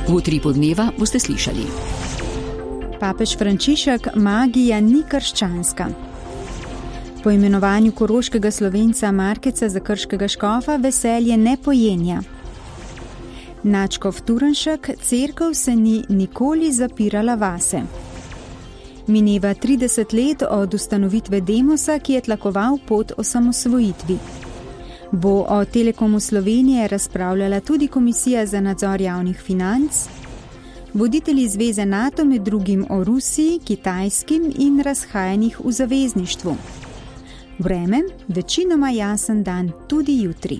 V utripu dneva boste slišali. Papež Frančišek, magija ni krščanska. Po imenovanju koroškega Slovenca Markeca za krškega škofa veselje ne pojenja. Nadškof Turnšek, cerkev se ni nikoli zapirala vase. Mineva 30 let od ustanovitve Demosa, ki je tlakoval pot osamosvojitvi. Bo o Telekomu Slovenije razpravljala tudi Komisija za nadzor javnih financ. Voditelji Zveze NATO med drugim o Rusiji, Kitajskim in razhajanjih v zavezništvu. Vreme, večinoma jasen dan tudi jutri.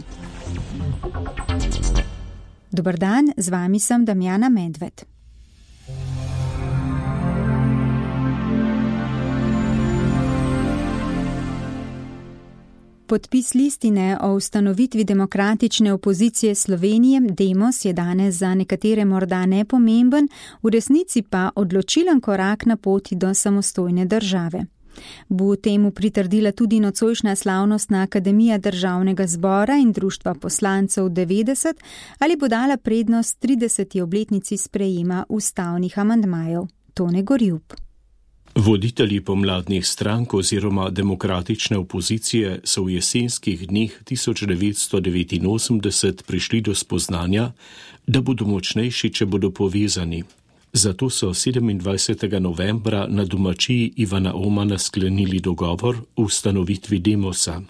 Dober dan, z vami sem Damjana Medved. Podpis listine o ustanovitvi demokratične opozicije Slovenije, Demos, je danes za nekatere morda nepomemben, v resnici pa odločilen korak na poti do samostojne države. Bo temu pritrdila tudi nocojšnja slavnostna Akademija Državnega zbora in Društva poslancev 90 ali bo dala prednost 30. obletnici sprejema ustavnih amandmajev. Tone Gorjub. Voditelji pomladnih strank oziroma demokratične opozicije so v jesenskih dneh 1989 prišli do spoznanja, da bodo močnejši, če bodo povezani. Zato so 27. novembra na domačiji Ivana Omana sklenili dogovor o ustanovitvi Demosa.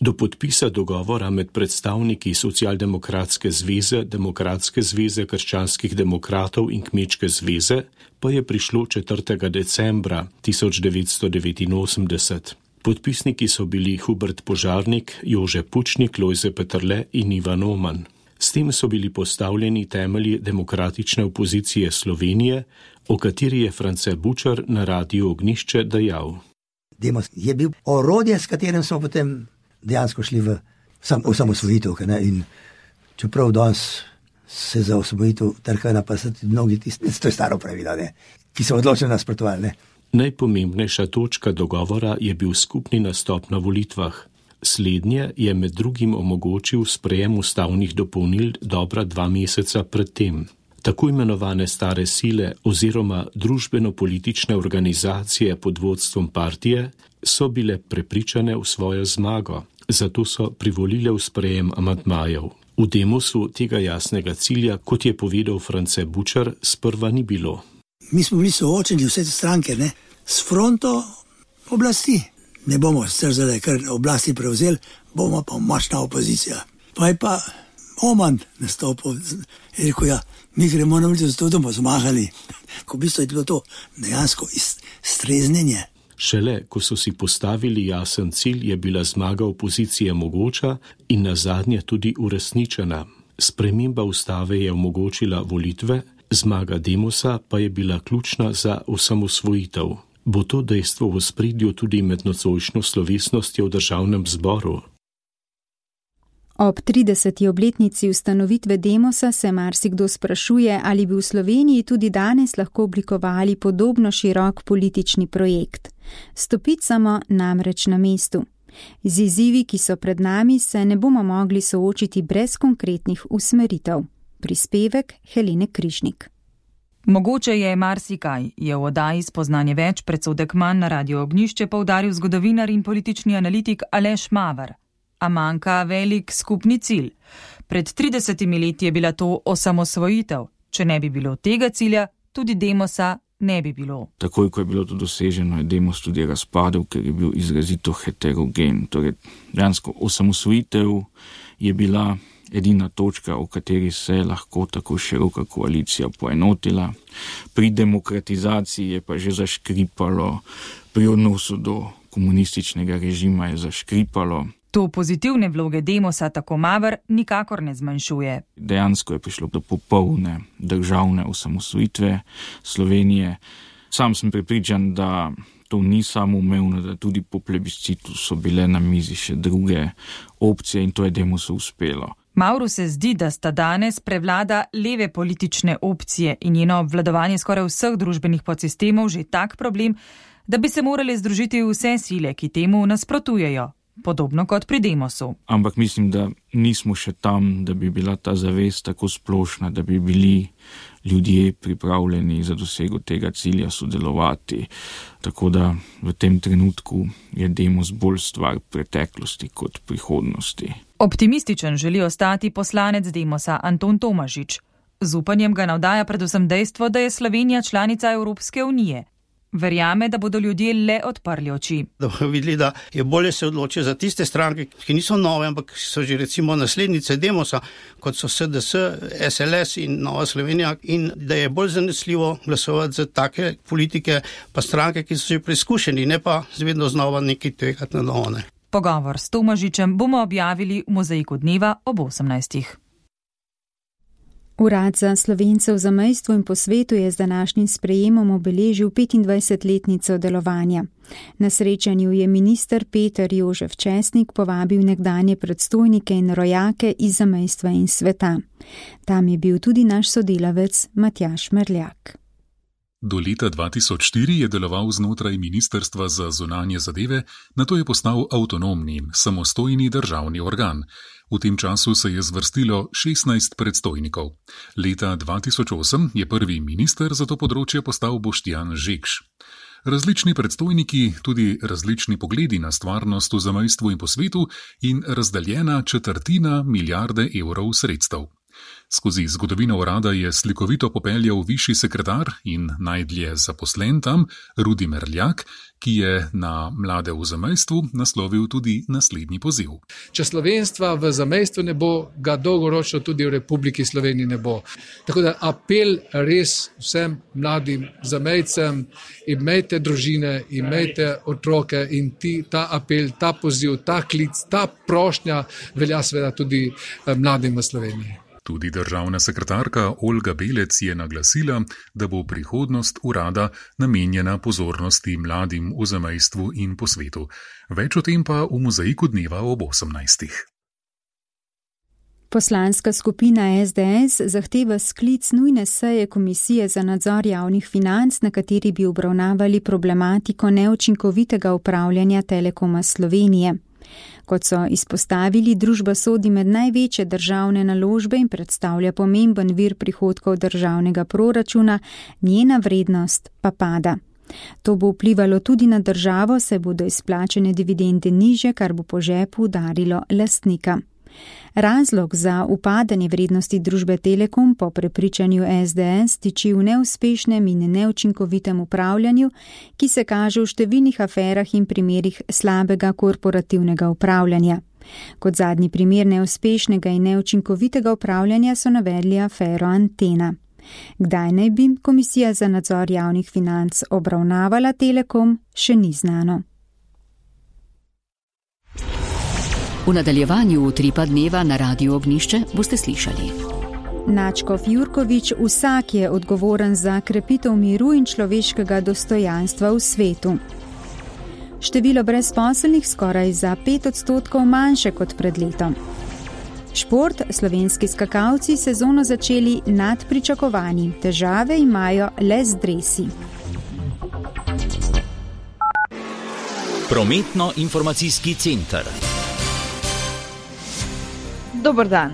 Do podpisa dogovora med predstavniki Socialdemokratske zveze, Demokratske zveze krščanskih demokratov in Kmečke zveze pa je prišlo 4. decembra 1989. Podpisniki so bili Hubert Požarnik, Jože Pučnik, Lojze Peterle in Ivan Oman. S tem so bili postavljeni temelji demokratične opozicije Slovenije, o kateri je France Bučar na Radiu Ognjišče dejal. Demos je bil orodje, s katerim smo potem dejansko šli v osamosvojitev. In čeprav danes se za osamosvojitev trkajo na pasati mnogi tisti, to je staro pravilo, ki so odločeno nasprotovali. Najpomembnejša točka dogovora je bil skupni nastop na volitvah. Slednje je med drugim omogočil sprejem ustavnih dopolnil dobra 2 meseca predtem. Tako imenovane stare sile oziroma družbeno-politične organizacije pod vodstvom partije so bile prepričane v svojo zmago, zato so privolile v sprejem amandmajev. V Demosu tega jasnega cilja, kot je povedal France Bučar, sprva ni bilo. Mi smo bili soočeni vse te stranke, s fronto oblasti. Ne bomo zdaj kar oblasti prevzeli, bomo pa močna opozicija. Pa je pa Oman nastopil in rekel, mi gremo na ulico, zato bomo zmagali. Ko v bistvu je bilo to dejansko streznjenje. Šele, ko so si postavili jasen cilj, je bila zmaga opozicije mogoča in nazadnje tudi uresničena. Sprememba ustave je omogočila volitve, zmaga Demosa pa je bila ključna za osamosvojitev. Bo to dejstvo v ospredju tudi med nocojšnjo slovesnostjo v Državnem zboru? Ob 30. obletnici ustanovitve Demosa se marsikdo sprašuje, ali bi v Sloveniji tudi danes lahko oblikovali podobno širok politični projekt. Stopicamo namreč na mestu. Z izzivi, ki so pred nami, se ne bomo mogli soočiti brez konkretnih usmeritev. Prispevek Helene Križnik. Mogoče je marsikaj, je v oddaji Spoznanje več predsodek manj na Radiu Ognjišče poudaril zgodovinar in politični analitik Aleš Maver. A manjka velik skupni cilj. Pred 30 leti je bila to osamosvojitev. Če ne bi bilo tega cilja, tudi Demosa ne bi bilo. Takoj, ko je bilo to doseženo, je Demos tudi razpadel, ker je bil izrazito heterogen. Torej, dejansko osamosvojitev je bila edina točka, o kateri se je lahko tako široka koalicija poenotila. Pri demokratizaciji je pa že zaškripalo, pri odnosu do komunističnega režima je zaškripalo. To pozitivne vloge Demosa, tako Maver, nikakor ne zmanjšuje. Dejansko je prišlo do popolne državne osamosvojitve Slovenije. Sam sem prepričan, da to ni samoumevno, da tudi po plebiscitu so bile na mizi še druge opcije in to je Demosu uspelo. Mavru se zdi, da sta danes prevlada leve politične opcije in njeno obvladovanje skoraj vseh družbenih podsistemov že tak problem, da bi se morali združiti vse sile, ki temu nasprotujejo. podobno kot pri Demosu. Ampak mislim, da nismo še tam, da bi bila ta zavest tako splošna, da bi bili ljudje pripravljeni za dosego tega cilja sodelovati. Tako da v tem trenutku je Demos bolj stvar preteklosti kot prihodnosti. Optimističen želi ostati poslanec Demosa Anton Tomažič. Z upanjem ga navdaja predvsem dejstvo, da je Slovenija članica Evropske unije. Verjame, da bodo ljudje le odprli oči. Da bodo videli, da je bolje se odločiti za tiste stranke, ki niso nove, ampak so že recimo naslednice Demosa, kot so SDS, SLS in Nova Slovenija, in da je bolj zanesljivo glasovati za take politike pa stranke, ki so že preizkušeni, ne pa vedno znova nekaj tvegati na novo. Pogovor s Tomažičem bomo objavili v Mozaiku dneva ob 18. Urad za Slovence v zamejstvu in po svetu je z današnjim sprejemom obeležil 25-letnico delovanja. Na srečanju je minister Peter Jožef Česnik povabil nekdanje predstojnike in rojake iz zamejstva in sveta. Tam je bil tudi naš sodelavec Matjaž Merljak. Do leta 2004 je deloval znotraj Ministrstva za zunanje zadeve, nato je postal avtonomni, samostojni državni organ. V tem času se je zvrstilo 16 predstojnikov. Leta 2008 je prvi minister za to področje postal Boštjan Žekš. Različni predstojniki, tudi različni pogledi na stvarnost v zamejstvu in po svetu in razdaljena 1/4 milijarde evrov sredstev. Skozi zgodovino urada je slikovito popeljal višji sekretar in najdlje zaposlen tam Rudi Merljak, ki je na mlade v zamejstvu naslovil tudi naslednji poziv. Če slovenstva v zamejstvu ne bo, ga dolgoročno tudi v Republiki Sloveniji ne bo. Tako da apel res vsem mladim zamejcem, imejte družine, imejte otroke in ta apel, ta poziv, ta klic, ta prošnja velja seveda tudi mladim v Sloveniji. Tudi državna sekretarka Olga Belec je naglasila, da bo prihodnost urada namenjena pozornosti mladim v zamejstvu in po svetu. Več o tem pa v Mozaiku dneva ob 18. Poslanska skupina SDS zahteva sklic nujne seje Komisije za nadzor javnih financ, na kateri bi obravnavali problematiko neučinkovitega upravljanja Telekoma Slovenije. Kot so izpostavili, družba sodi med največje državne naložbe in predstavlja pomemben vir prihodkov državnega proračuna, njena vrednost pa pada. To bo vplivalo tudi na državo, saj bodo izplačene dividende nižje, kar bo po žepu udarilo lastnika. Razlog za upadanje vrednosti družbe Telekom po prepričanju SDS tiči v neuspešnem in neučinkovitem upravljanju, ki se kaže v številnih aferah in primerih slabega korporativnega upravljanja. Kot zadnji primer neuspešnega in neučinkovitega upravljanja so navedli afero Antena. Kdaj naj bi Komisija za nadzor javnih financ obravnavala Telekom, še ni znano. V nadaljevanju Utripa dneva na Radiu Ognjišče boste slišali. Načkov Jurkovič, vsak je odgovoren za krepitev miru in človeškega dostojanstva v svetu. Število brezposelnih skoraj za 5% manjše kot pred letom. Šport, slovenski skakalci sezono začeli nad pričakovanji, težave imajo le z dresi. Prometno-informacijski center. Dober dan.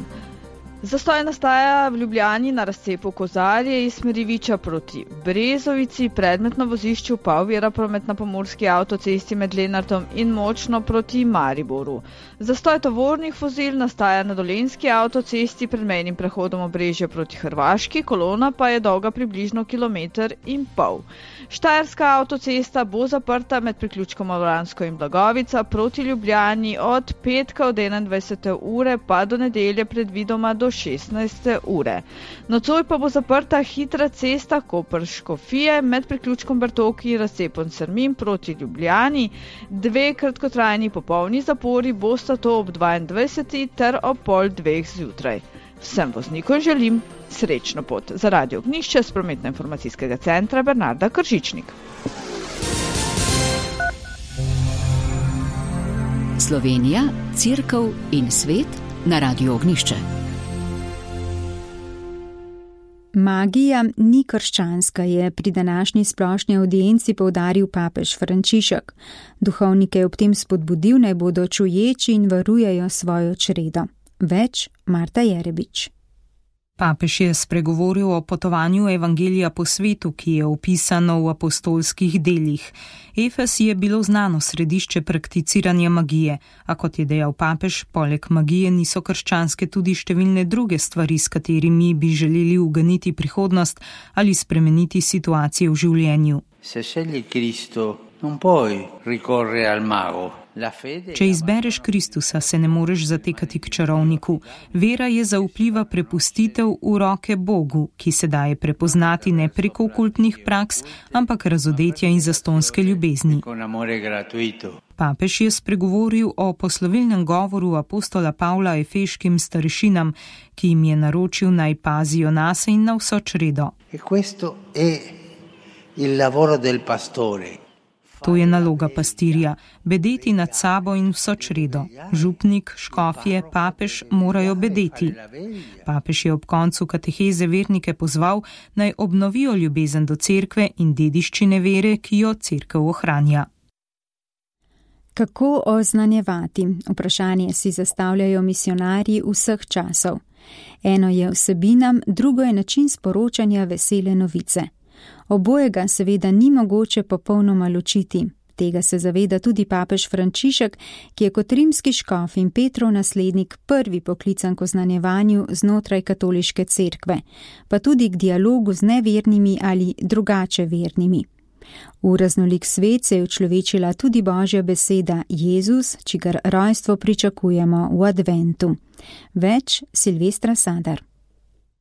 Zastoj nastaja v Ljubljani na razcepu Kozarje iz smeri Viča proti Brezovici, predmetno vozišču pa ovira promet na pomurski avtocesti med Lenartom in Močno proti Mariboru. Zastoj tovornih vozil nastaja na Dolenjski avtocesti pred mejnim prehodom Obrežje proti Hrvaški, kolona pa je dolga približno 1,5 km. Štajerska avtocesta bo zaprta med priključkom Avransko in Blagovica proti Ljubljani od petka od 21. ure pa do nedelje predvidoma do 16. ure. Nocoj pa bo zaprta hitra cesta Koper-Škofije med priključkom Bertoki in razcepom Srmin proti Ljubljani. 2 kratkotrajni popolni zapori bosta to ob 22. ter ob 1:30 zjutraj. Vsem voznikom želim srečno pot. Za Radio Ognjišče s prometno-informacijskega centra Bernarda Kržičnik. Slovenija, Cerkev in svet na Radiu Ognjišče. Magija ni krščanska, je pri današnji splošni audienci poudaril papež Frančišek. Duhovnike je ob tem spodbudil, naj bodo čuječi in varujejo svojo čredo. Več Marta Jerebič. Papež je spregovoril o potovanju evangelija po svetu, ki je opisano v apostolskih delih. Efes je bilo znano središče prakticiranja magije, a kot je dejal papež, poleg magije niso krščanske tudi številne druge stvari, s katerimi bi želeli uganiti prihodnost ali spremeniti situacije v življenju. Se scegli Cristo, non puoi ricorrere al mago. Če izbereš Kristusa, se ne moreš zatekati k čarovniku. Vera je zaupljiva prepustitev v roke Bogu, ki se daje prepoznati ne preko okultnih praks, ampak razodetja in zastonske ljubezni. Papež je spregovoril o poslovilnem govoru apostola Pavla efeškim starešinam, ki jim je naročil naj pazijo nase in na vso čredo. To je naloga pastirja, bedeti nad sabo in vso čredo. Župnik, škofje, papež morajo bedeti. Papež je ob koncu kateheze vernike pozval, naj obnovijo ljubezen do cerkve in dediščine vere, ki jo cerkev ohranja. Kako oznanjevati? Vprašanje si zastavljajo misionarji vseh časov. Eno je vsebina, drugo je način sporočanja vesele novice. Obojega seveda ni mogoče popolnoma ločiti. Tega se zaveda tudi papež Frančišek, ki je kot rimski škof in Petrov naslednik prvi poklican k oznanjevanju znotraj katoliške cerkve, pa tudi k dialogu z nevernimi ali drugače vernimi. V raznolik svet se je učlovečila tudi Božja beseda Jezus, čigar rojstvo pričakujemo v adventu. Več Silvestra Sadar.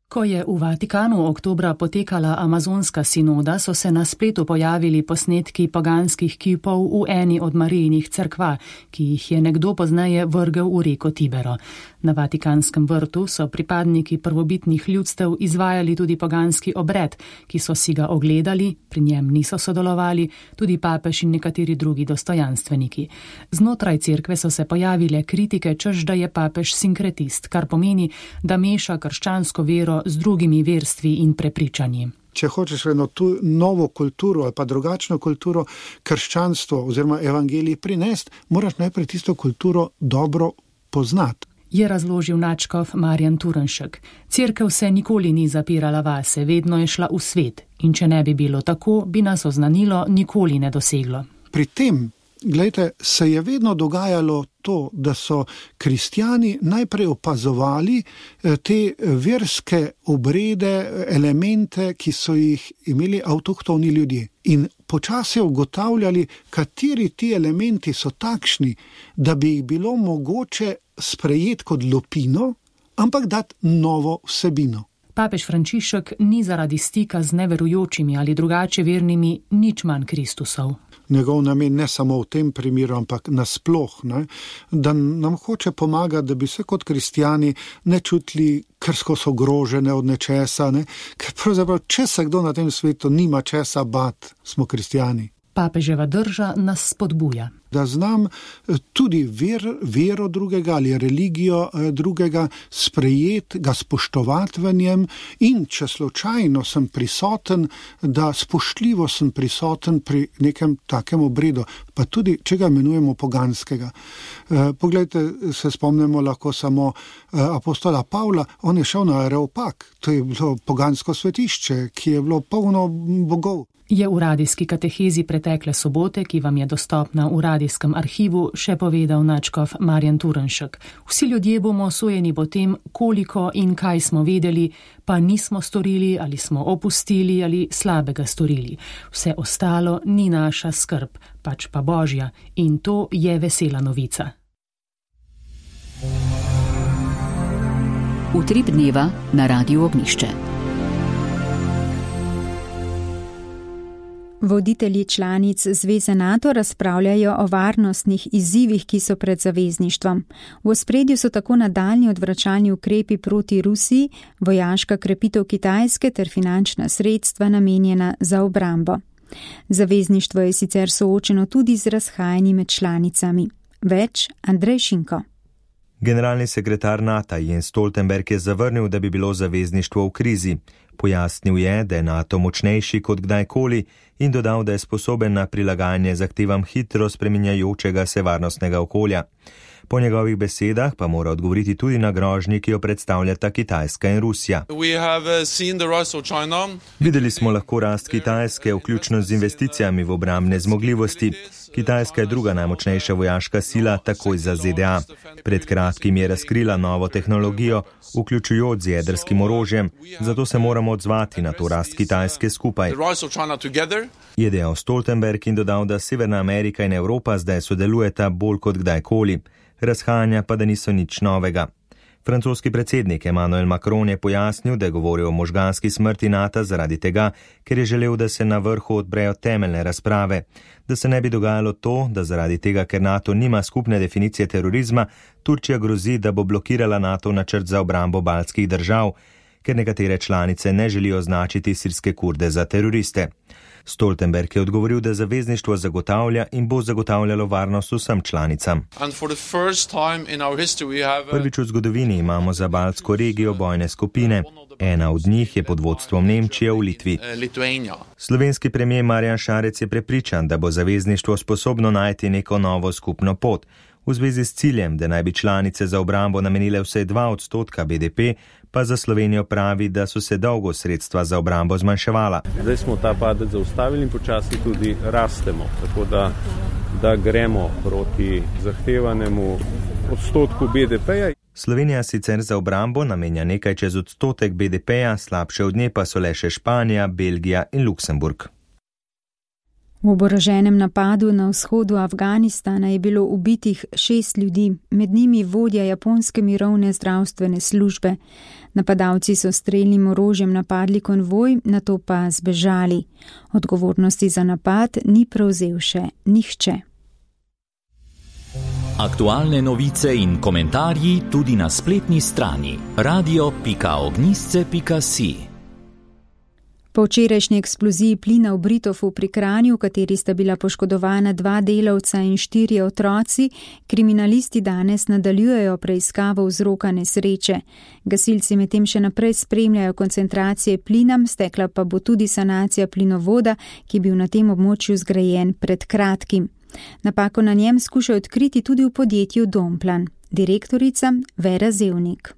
Ko je v Vatikanu oktobra potekala amazonska sinoda, so se na spletu pojavili posnetki poganskih kipov v eni od Marijinih cerkva, ki jih je nekdo pozneje vrgel v reko Tibero. Na Vatikanskem vrtu so pripadniki prvobitnih ljudstev izvajali tudi poganski obred, ki so si ga ogledali, pri njem niso sodelovali, tudi papež in nekateri drugi dostojanstveniki. Znotraj cerkve so se pojavile kritike, češ da je papež sinkretist, kar pomeni, da meša krščansko vero z drugimi verstvi in prepričanji. Če hočeš eno tu novo kulturo ali pa drugačno kulturo, krščanstvo oziroma evangelij prinesti, moraš najprej tisto kulturo dobro poznati. Je razložil nadškof Marjan Turnšek. Cerkev se nikoli ni zapirala vase, vedno je šla v svet. In če ne bi bilo tako, bi nas oznanilo nikoli ne doseglo. Pri tem, glejte, se je vedno dogajalo to, da so kristjani najprej opazovali te verske obrede, elemente, ki so jih imeli avtohtoni ljudje. In počasi ugotavljali, kateri ti elementi so takšni, da bi jih bilo mogoče sprejeti kot lupino, ampak dati novo vsebino. Papež Frančišek ni zaradi stika z neverujočimi ali drugače vernimi nič manj Kristusov. Njegov namen ne samo v tem primeru, ampak nasploh, da nam hoče pomagati, da bi se kot kristjani ne čutili krsko ogrožene od nečesa, ker pravzaprav, če se kdo na tem svetu nima česa bat, smo kristjani. Papeževa drža nas spodbuja. Da znam tudi vero drugega ali religijo drugega sprejeti, ga spoštovati v njem in če slučajno sem prisoten, da spoštljivo sem prisoten pri nekem takem obredu, pa tudi, če ga imenujemo poganskega. Poglejte, se spomnimo lahko samo apostola Pavla, on je šel na Areopag, to je bilo pogansko svetišče, ki je bilo polno bogov. Je v radijski katehezi pretekle sobote, ki vam je dostopna v radijskem arhivu, še povedal nadškof Marjan Turnšek. Vsi ljudje bomo sojeni po tem, koliko in kaj smo vedeli, pa nismo storili ali smo opustili ali slabega storili. Vse ostalo ni naša skrb, pač pa Božja, in to je vesela novica. Utrip dneva na Radiu Ognjišče. Voditelji članic Zveze NATO razpravljajo o varnostnih izzivih, ki so pred zavezništvom. V ospredju so tako nadaljnji odvračalni ukrepi proti Rusiji, vojaška krepitev Kitajske ter finančna sredstva namenjena za obrambo. Zavezništvo je sicer soočeno tudi z razhajanji med članicami. Več Andrej Šinko. Generalni sekretar NATO Jens Stoltenberg je zavrnil, da bi bilo zavezništvo v krizi. Pojasnil je, da je NATO močnejši kot kdajkoli in dodal, da je sposoben na prilagajanje zahtevam hitro spreminjajočega se varnostnega okolja. Po njegovih besedah pa mora odgovoriti tudi na grožnji, ki jo predstavljata Kitajska in Rusija. Videli smo lahko rast Kitajske, vključno z investicijami v obrambne zmogljivosti. Kitajska je druga najmočnejša vojaška sila, takoj za ZDA. Pred kratkim je razkrila novo tehnologijo, vključujoč z jedrskim orožjem, zato se moramo odzvati na to rast Kitajske skupaj. Je dejal Stoltenberg in dodal, da Severna Amerika in Evropa zdaj sodelujeta bolj kot kdajkoli. Razhajanja pa da niso nič novega. Francoski predsednik Emmanuel Macron je pojasnil, da je govoril o možganski smrti NATO zaradi tega, ker je želel, da se na vrhu odprejo temeljne razprave. Da se ne bi dogajalo to, da zaradi tega, ker NATO nima skupne definicije terorizma, Turčija grozi, da bo blokirala NATO načrt za obrambo baltskih držav, ker nekatere članice ne želijo označiti sirske Kurde za teroriste. Stoltenberg je odgovoril, da zavezništvo zagotavlja in bo zagotavljalo varnost vsem članicam. Prvič v zgodovini imamo za baltsko regijo bojne skupine. Ena od njih je pod vodstvom Nemčije v Litvi. Slovenski premijer Marjan Šarec je prepričan, da bo zavezništvo sposobno najti neko novo skupno pot. V zvezi s ciljem, da naj bi članice za obrambo namenile vsaj 2% BDP, pa za Slovenijo pravi, da so se dolgo sredstva za obrambo zmanjševala. Zdaj smo ta padec zaustavili in počasi tudi rastemo, tako da gremo proti zahtevanemu odstotku BDP-ja. Slovenija sicer za obrambo namenja nekaj čez odstotek BDP-ja, slabše od nje pa so le še Španija, Belgija in Luksemburg. V oboroženem napadu na vzhodu Afganistana je bilo ubitih 6 ljudi, med njimi vodja japonske mirovne zdravstvene službe. Napadalci so strelnim orožjem napadli konvoj, nato pa zbežali. Odgovornosti za napad ni prevzel še nihče. Aktualne novice in komentarji tudi na spletni strani radio.ognisce.si. Po včerajšnji eksploziji plina v Britofu pri Kranju, v kateri sta bila poškodovana 2 delavca in 4 otroci, kriminalisti danes nadaljujejo preiskavo vzroka nesreče. Gasilci medtem še naprej spremljajo koncentracije plina, stekla pa bo tudi sanacija plinovoda, ki je bil na tem območju zgrajen pred kratkim. Napako na njem skušajo odkriti tudi v podjetju Domplan. Direktorica Vera Zevnik.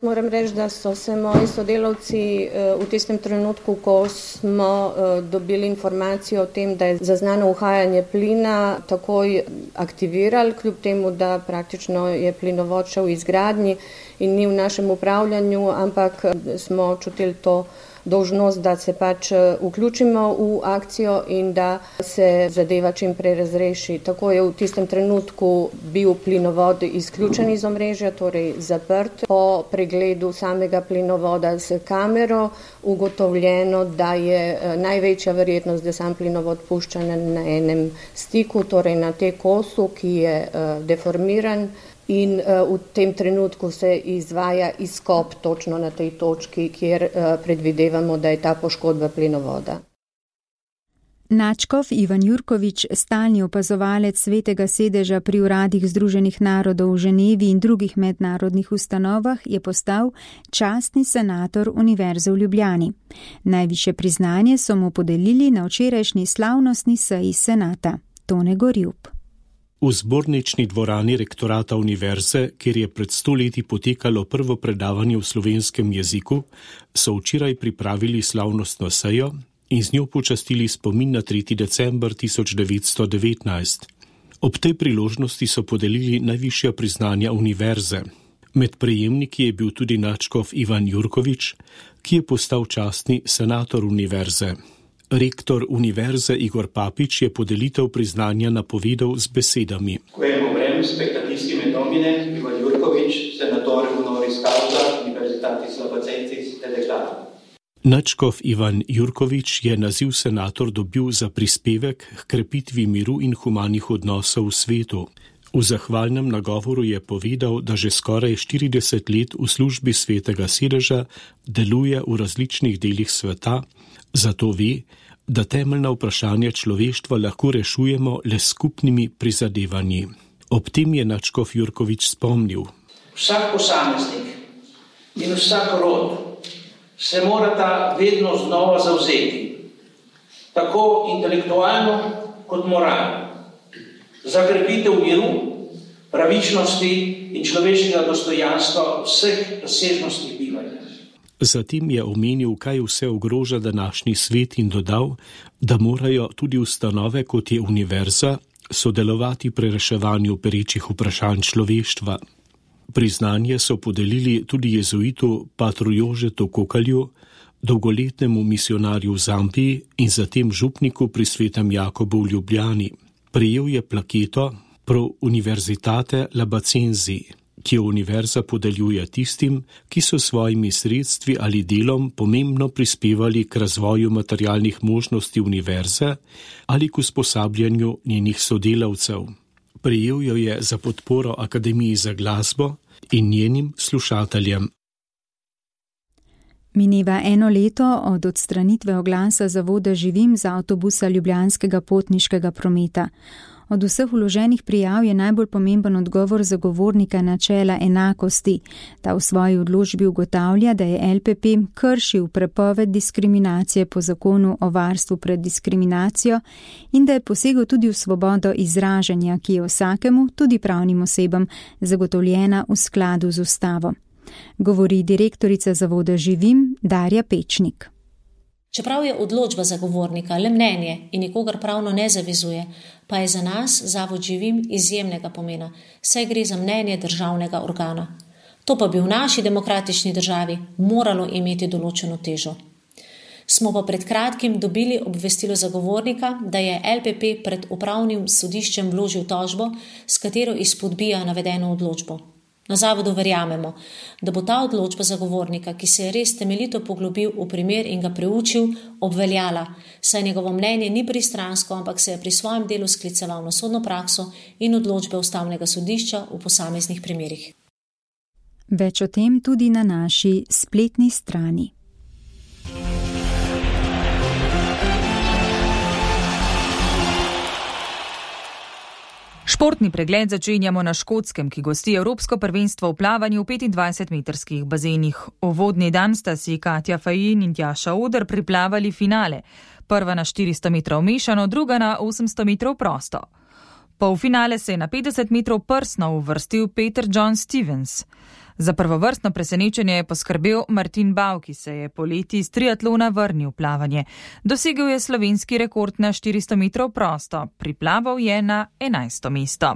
Moram reči, da so se moji sodelavci v tistem trenutku, ko smo dobili informacijo o tem, da je zaznano uhajanje plina, takoj aktivirali, kljub temu, da praktično je plinovod šel v izgradnji in ni v našem upravljanju, ampak smo čutili to dolžnost, da se pač vključimo v akcijo in da se zadeva čim prej razreši. Tako je v tistem trenutku bil plinovod izključen iz omrežja, torej zaprt. Po pregledu samega plinovoda s kamero ugotovljeno, da je največja verjetnost, da sam plinovod pušča na enem stiku, torej na te kosu, ki je deformiran. In v tem trenutku se izvaja izkop točno na tej točki, kjer predvidevamo, da je ta poškodba plinovoda. Načkov Ivan Jurkovič, stalni opazovalec Svetega sedeža pri uradih Združenih narodov v Ženevi in drugih mednarodnih ustanovah, je postal častni senator Univerze v Ljubljani. Najvišje priznanje so mu podelili na včerajšnji slavnostni seji senata. Tone Gorjub. V zbornični dvorani rektorata univerze, kjer je pred 100 leti potekalo prvo predavanje v slovenskem jeziku, so včeraj pripravili slavnostno sejo in z njo počastili spomin na 3. december 1919. Ob tej priložnosti so podelili najvišja priznanja univerze. Med prejemniki je bil tudi nadškof Ivan Jurkovič, ki je postal častni senator univerze. Rektor univerze Igor Papič je podelitev priznanja napovedal z besedami. Nadškof Ivan Jurkovič je naziv senator dobil za prispevek k krepitvi miru in humanih odnosov v svetu. V zahvalnem nagovoru je povedal, da že skoraj 40 let v službi Svetega sedeža deluje v različnih delih sveta, zato ve, da temeljna vprašanja človeštva lahko rešujemo le skupnimi prizadevanji. Ob tem je nadškof Jurkovič spomnil, Vsak posameznik in vsak rod se morata vedno znova zavzeti, tako intelektualno kot moralno, za krepitev miru, pravičnosti in človeškega dostojanstva vseh razsežnosti bivanja. Zatem je omenil, kaj vse ogroža današnji svet in dodal, da morajo tudi ustanove, kot je univerza, sodelovati pri reševanju perečih vprašanj človeštva. Priznanje so podelili tudi jezuitu patru Jožetu Kokalju, dolgoletnemu misionarju v Zambiji in zatem župniku pri Svetem Jakobu v Ljubljani. Prejel je plaketo Pro Universitate Labacenzi, ki jo univerza podeljuje tistim, ki so svojimi sredstvi ali delom pomembno prispevali k razvoju materialnih možnosti univerze ali k usposabljanju njenih sodelavcev. Prejel jo je za podporo Akademiji za glasbo in njenim slušateljem. Mineva 1 leto od odstranitve oglasa Zavoda Živim z avtobusa ljubljanskega potniškega prometa. Od vseh vloženih prijav je najbolj pomemben odgovor zagovornika načela enakosti. Ta v svoji odločbi ugotavlja, da je LPP kršil prepoved diskriminacije po zakonu o varstvu pred diskriminacijo in da je posegel tudi v svobodo izražanja, ki je vsakemu, tudi pravnim osebam, zagotovljena v skladu z ustavo. Govori direktorica Zavoda Živim Darja Pečnik. Čeprav je odločba zagovornika le mnenje in nikogar pravno ne zavezuje, pa je za nas Zavod Živim izjemnega pomena, saj gre za mnenje državnega organa. To pa bi v naši demokratični državi moralo imeti določeno težo. Smo pa pred kratkim dobili obvestilo zagovornika, da je LPP pred upravnim sodiščem vložil tožbo, s katero izpodbija navedeno odločbo. Na zavodu verjamemo, da bo ta odločba zagovornika, ki se je res temeljito poglobil v primer in ga preučil, obveljala, saj njegovo mnenje ni pristransko, ampak se je pri svojem delu skliceval na sodno prakso in odločbe ustavnega sodišča v posameznih primerih. Več o tem tudi na naši spletni strani. Športni pregled začenjamo na Škotskem, ki gosti Evropsko prvenstvo v plavanju v 25-metrskih bazenih. Uvodni dan sta si Katja Fajin in Tjaša Oder priplavali finale. Prva na 400 metrov mešano, druga na 800 metrov prosto. Polfinale se je na 50 metrov prsno uvrstil Peter John Stevens. Za prvovrstno presenečenje je poskrbel Martin Bav, ki se je poleti iz triatlona vrnil v plavanje. Dosegel je slovenski rekord na 400 metrov prosto, priplaval je na 11. mesto.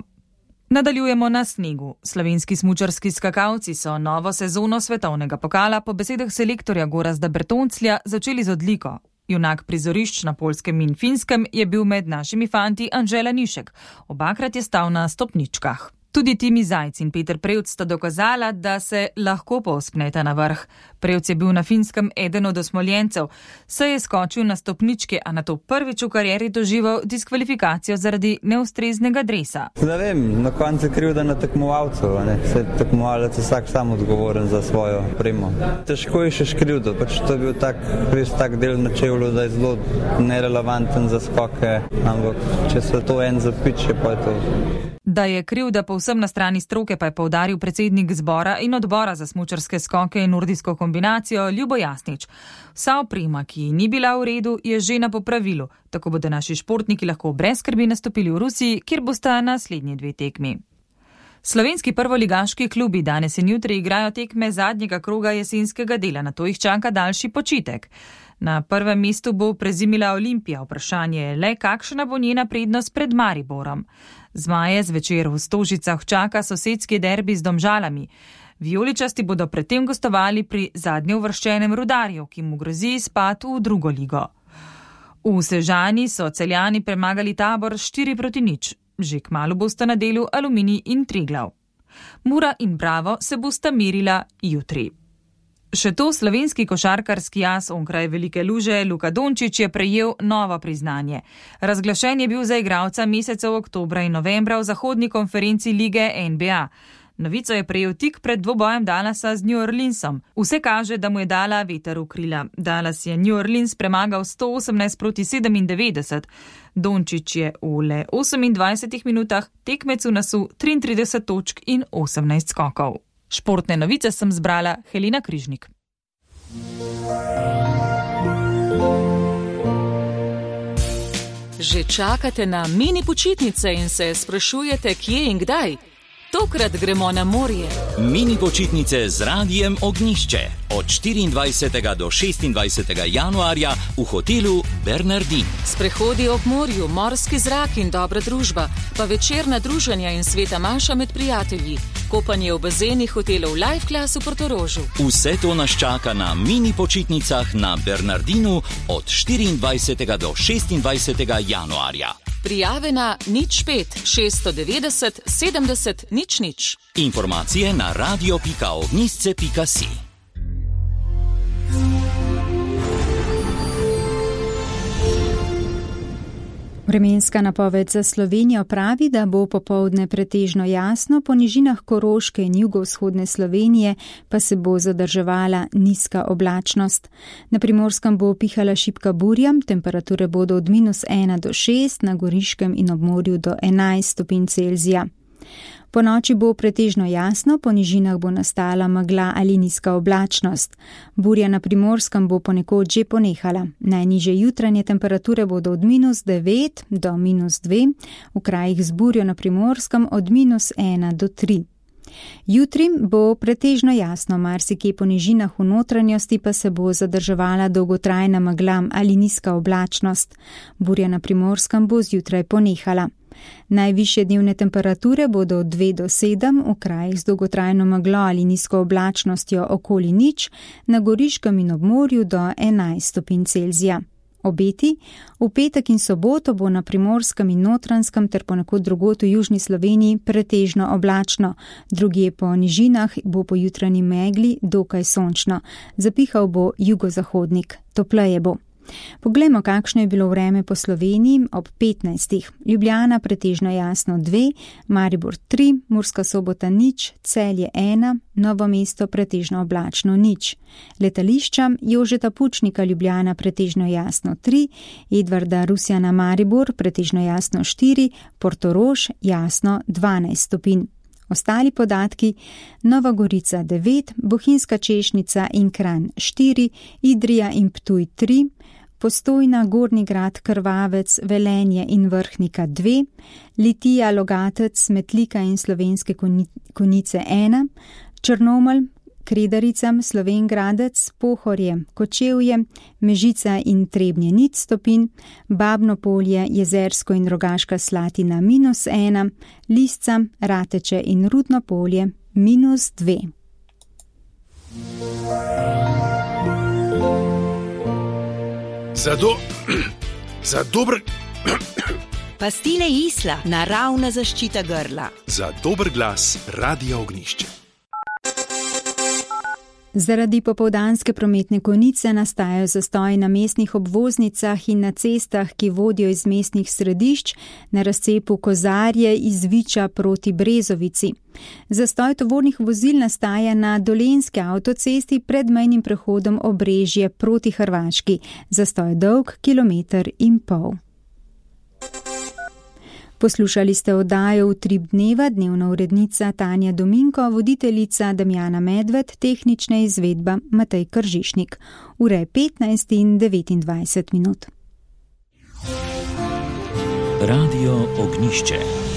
Nadaljujemo na snegu. Slovenski smučarski skakalci so novo sezono svetovnega pokala po besedah selektorja Gorazda Bertonclja začeli z odliko. Junak prizorišč na Poljskem in Finskem je bil med našimi fanti Anžela Nišek. Obakrat je stal na stopničkah. Tudi Timi Zajc in Peter Prevc sta dokazala, da se lahko povzpneta na vrh. Prevc je bil na Finskem eden od osmoljencev, saj je skočil na stopničke, a nato prvič v karieri doživel diskvalifikacijo zaradi neustreznega dresa. Ne vem, na koncu je krivda na tekmovalcu, se tekmovalec je vsak sam odgovoren za svojo opremo. Težko je še krivdo, to je bil res tak del na čevlju, da je zelo nerelevanten za skoke, ampak če se to en zapiče, pa je to. Da je krivda povsem na strani stroke, pa je poudaril predsednik zbora in odbora za smučarske skoke in nordijsko kombinacijo Ljubo Jasnič. Vsa oprema, ki ni bila v redu, je že na popravilu, tako bodo naši športniki lahko brez skrbi nastopili v Rusiji, kjer bosta naslednji 2 tekmi. Slovenski prvoligaški klubi danes in jutri igrajo tekme zadnjega kroga jesenskega dela, nato jih čaka daljši počitek. Na prvem mestu bo prezimila Olimpija, vprašanje je le, kakšna bo njena prednost pred Mariborom. Zmaje zvečer v Stožicah čaka sosedski derbi z Domžalami. Vijoličasti bodo predtem gostovali pri zadnje uvrščenem Rudarju, ki mu grozi izpad v drugo ligo. V Sežani so Celjani premagali Tabor 4-0. Že kmalu bosta na delu Aluminij in Triglav. Mura in Bravo se bosta merila jutri. Še to slovenski košarkarski as onkraj Velike Luže Luka Dončić je prejel novo priznanje. Razglašen je bil za igralca mesecev oktobra in novembra v zahodni konferenci lige NBA. Novico je prejel tik pred dvobojem Dallasa z New Orleansom. Vse kaže, da mu je dala veter v krila. Dallas je New Orleans premagal 118-97. Dončić je v le 28 minutah tekmecu nasul 33 točk in 18 skokov. Športne novice sem zbrala Helena Križnik. Že čakate na mini počitnice in se sprašujete, kje in kdaj? Tokrat gremo na morje. Mini počitnice z Radijem Ognjišče od 24. do 26. januarja v hotelu Bernardin. Sprehodi ob morju, morski zrak in dobra družba, pa večerna druženja in sveta maša med prijatelji, kopanje v bazenih hotelov Life Class v Portorožu. Vse to nas čaka na mini počitnicah na Bernardinu od 24. do 26. januarja. Prijave na 05 690 70 00. Informacije na radio.ognjisce.si. Vremenska napoved za Slovenijo pravi, da bo popoldne pretežno jasno, po nižinah Koroške in jugovzhodne Slovenije pa se bo zadrževala nizka oblačnost. Na Primorskem bo pihala šibka burja, temperature bodo od -1 do 6, na Goriškem in ob morju do 11 stopinj Celzija. Po noči bo pretežno jasno, po nižinah bo nastala megla ali nizka oblačnost. Burja na Primorskem bo ponekod že ponehala. Najnižje jutranje temperature bodo od -9 do -2, v krajih z burjo na Primorskem od -1 do 3. Jutri bo pretežno jasno, marsikje po nižinah v notranjosti pa se bo zadrževala dolgotrajna megla ali nizka oblačnost. Burja na Primorskem bo zjutraj ponehala. Najvišje dnevne temperature bodo od 2 do 7, v krajih z dolgotrajno meglo ali nizko oblačnostjo okoli 0, na Goriškem in ob morju do 11 stopinj Celzija. Obeti: v petek in soboto bo na Primorskem in Notranjskem ter ponekod drugod v južni Sloveniji pretežno oblačno, drugje po nižinah bo po jutranji megli dokaj sončno. Zapihal bo jugozahodnik, topleje bo. Poglejmo, kakšno je bilo vreme po Sloveniji ob 15. Ljubljana pretežno jasno 2, Maribor 3, Murska Sobota 0, Celje 1, Novo mesto pretežno oblačno 0. Letališča: Jožeta Pučnika Ljubljana pretežno jasno 3, Edvarda Rusjana Maribor pretežno jasno 4, Portorož jasno 12 stopinj. Ostali podatki: Nova Gorica 9, Bohinjska Češnica in Kranj 4, Idrija in Ptuj 3, Postojna, Gornji Grad, Krvavec, Velenje in Vrhnika 2, Litija, Logatec, Metlika in Slovenske Konjice 1, Črnomelj, Kredarica, Slovenj Gradec, Pohorje, Kočevje, Mežica in Trebnje 0 stopinj, Babno Polje, Jezersko in Rogaška Slatina -1, Lisca, Rateče in Rudno Polje -2. Za dober... Pastile Isla, naravna zaščita grla. Za dober glas Radio Ognjišče. Zaradi popoldanske prometne konice nastajajo zastoji na mestnih obvoznicah in na cestah, ki vodijo iz mestnih središč, na razcepu Kozarje iz Viča proti Brezovici. Zastoj tovornih vozil nastaja na Dolenjski avtocesti pred mejnim prehodom Obrežje proti Hrvaški. Zastoj je dolg 1,5 km. Poslušali ste oddajo Utrip dneva, dnevna urednica Tanja Dominko, voditeljica Damjana Medved, tehnična izvedba Matej Kržišnik. Ura je 15 in 29 minut. Radio Ognjišče.